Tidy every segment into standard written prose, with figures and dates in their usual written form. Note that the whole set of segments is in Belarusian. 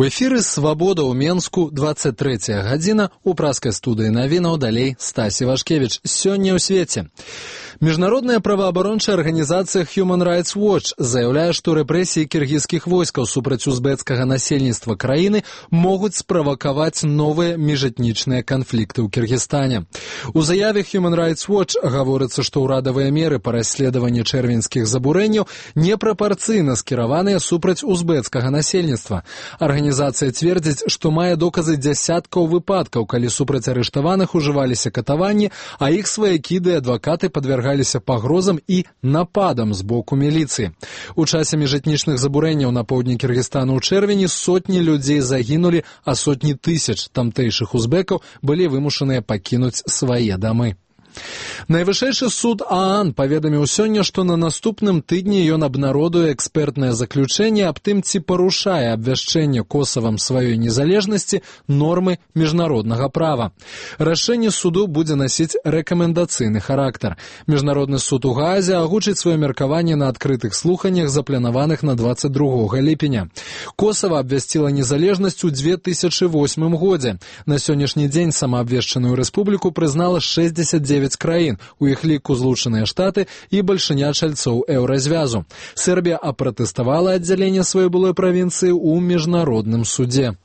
У эфіры «Свабода» ў Менску, 23 гадзіна, у праскай студыі навінаў далей Стасі Вашкевіч. Сёння ў свеце. Міжнародная праваабарончая арганізацыя Human Rights Watch заяўляе, што рэпрэсіі кіргізскіх войскаў супраць узбэцкага насельніцтва краіны могуць справакаваць новыя міжэтнічныя канфлікты ў Кіргізстане. У заяве Human Rights Watch гаворыцца, што ўрадавыя меры па расследаванні чэрвеньскіх забурэнняў непрапарцыйна скіраваныя супраць узбэцкага насельніцтва. Арганізацыя цвердзіць, што мае доказы дзясяткаў выпадкаў, калі супраць арыштаваных ужываліся катаванні, а іх сваякі ды адвакаты падвяргаліся пагрозам і нападам з боку міліцыі. У часе міжэтнічных забурэнняў на поўдні Кіргізстану ў чэрвені сотні людзей загінулі, а сотні тысяч тамтэйшых узбекаў былі вымушаныя пакінуць свае дамы. Найвышэйшы суд ААН паведаміў сёння, што на наступным тыдні ён абнародуе экспертнае заключэнне аб тым, ці парушае абвяшчэнне Косавам сваёй незалежнасці нормы міжнароднага права. Рашэнне суду будзе насіць рэкамендацыйны характар. Міжнародны суд у Гаазе агучыць сваё меркаванне на адкрытых слуханнях, запланаваных на 22 ліпеня. Косава абвясціла незалежнасць у 2008 годзе. На сённяшні дзень самаабвешчаную рэспубліку прызнала 69 краін, у іх ліку Злучаныя Штаты і бальшыня чальцоў еўразвязу. Сербія апратэставала аддзяленне сваёй былой правінцыі ў міжнародным судзе.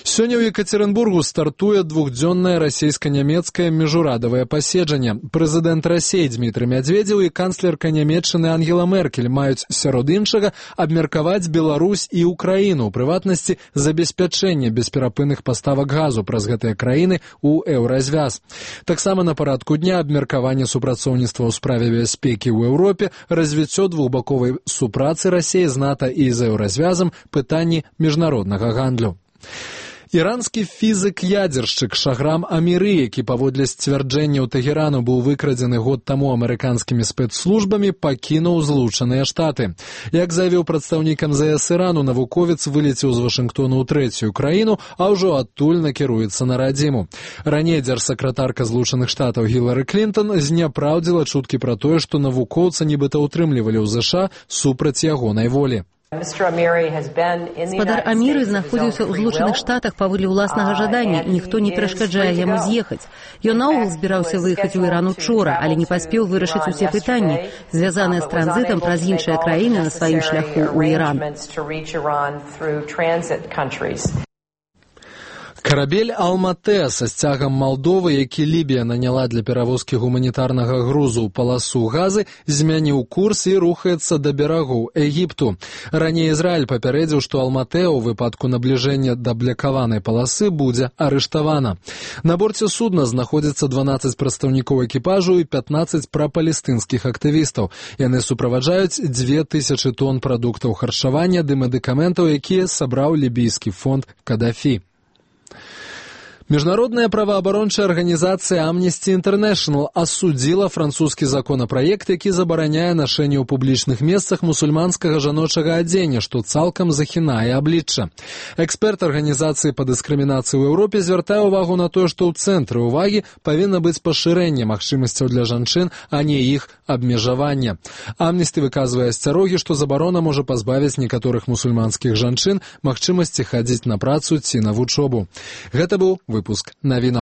Сёння ў Екатеринбургу стартуе двухдзённае расійска-нямецкае міжурадавае паседжанне. Прэзідэнт Расіі Дмітрый Мядзведзеў і канцлерка Нямецчыны Ангела Меркель маюць, сярод іншага, абмеркаваць Беларусь і Украіну, у прыватнасці забеспячэнне бесперапынных паставак газу праз гэтыя краіны ў еўразвяз. Таксама на парадку дня абмеркаванне супрацоўніцтва ў справе бяспекі ў Еўропе, развіццё двухбаковай супрацы Расіі з НАТО і з еўразвязам, пытанні міжнароднага гандлю. Іранскі фізык-ядзершчык Шахрам Аміры, які паводле сцвярджэнняў Тэгерану быў выкрадзены год таму амерыканскімі спецслужбамі, пакінуў Злучаныя Штаты. Як заявіў прадстаўнік МЗС Ірану, навуковец вылецеў з Вашынгтону ў трэцюю краіну, а ўжо адтуль накіруецца на радзіму. Раней дзяржсакратарка Злучаных Штатаў Гілары Клінтон зняпраўдзіла чуткі пра тое, што навукоўца нібыта ўтрымлівалі ў ЗША супраць ягонай волі. Спадар Аміры знаходзіўся ў Злучаных Штатах паводле ўласнага жадання, і ніхто не перашкаджае яму з'ехаць. Ён наогул збіраўся выехаць у Іран учора, але не паспеў вырашыць усе пытанні, звязаныя з транзітам праз іншыя краіны на сваім шляху ў Іран. Карабель «Алматэ» са сцягам Малдовы, які Лібія наняла для перавозкі гуманітарнага грузу ў паласу Газы, змяніў курс і рухаецца да берагоў Егіпту. Раней Ізраіль папярэдзіў, што «Алматэ» у выпадку набліжэння да блякаванай паласы будзе арыштавана. На борце судна знаходзіцца 12 прадстаўнікоў экіпажу і 15 прапалестынскіх актывістаў. Яны суправаджаюць 2000 тонн прадуктаў харчавання ды медыкаментаў, якія сабраў лібійскі фонд Кадафі. Міжнародная праваабарончая арганізацыя Amnesty International асудзіла французскі законапраект, які забараняе нашэнне ў публічных месцах мусульманскага жаночага адзення, што цалкам захінае аблічча. Эксперт арганізацыі па дыскрымінацыі ў Еўропе звяртае ўвагу на тое, што ў цэнтры ўвагі павінна быць пашырэнне магчымасцяў для жанчын, а не іх абмежавання. Amnesty выказвае асцярогі, што забарона можа пазбавіць некаторых мусульманскіх жанчын магчымасці хадзіць на працу ці на вучобу. Гэта быў выпуск навінаў.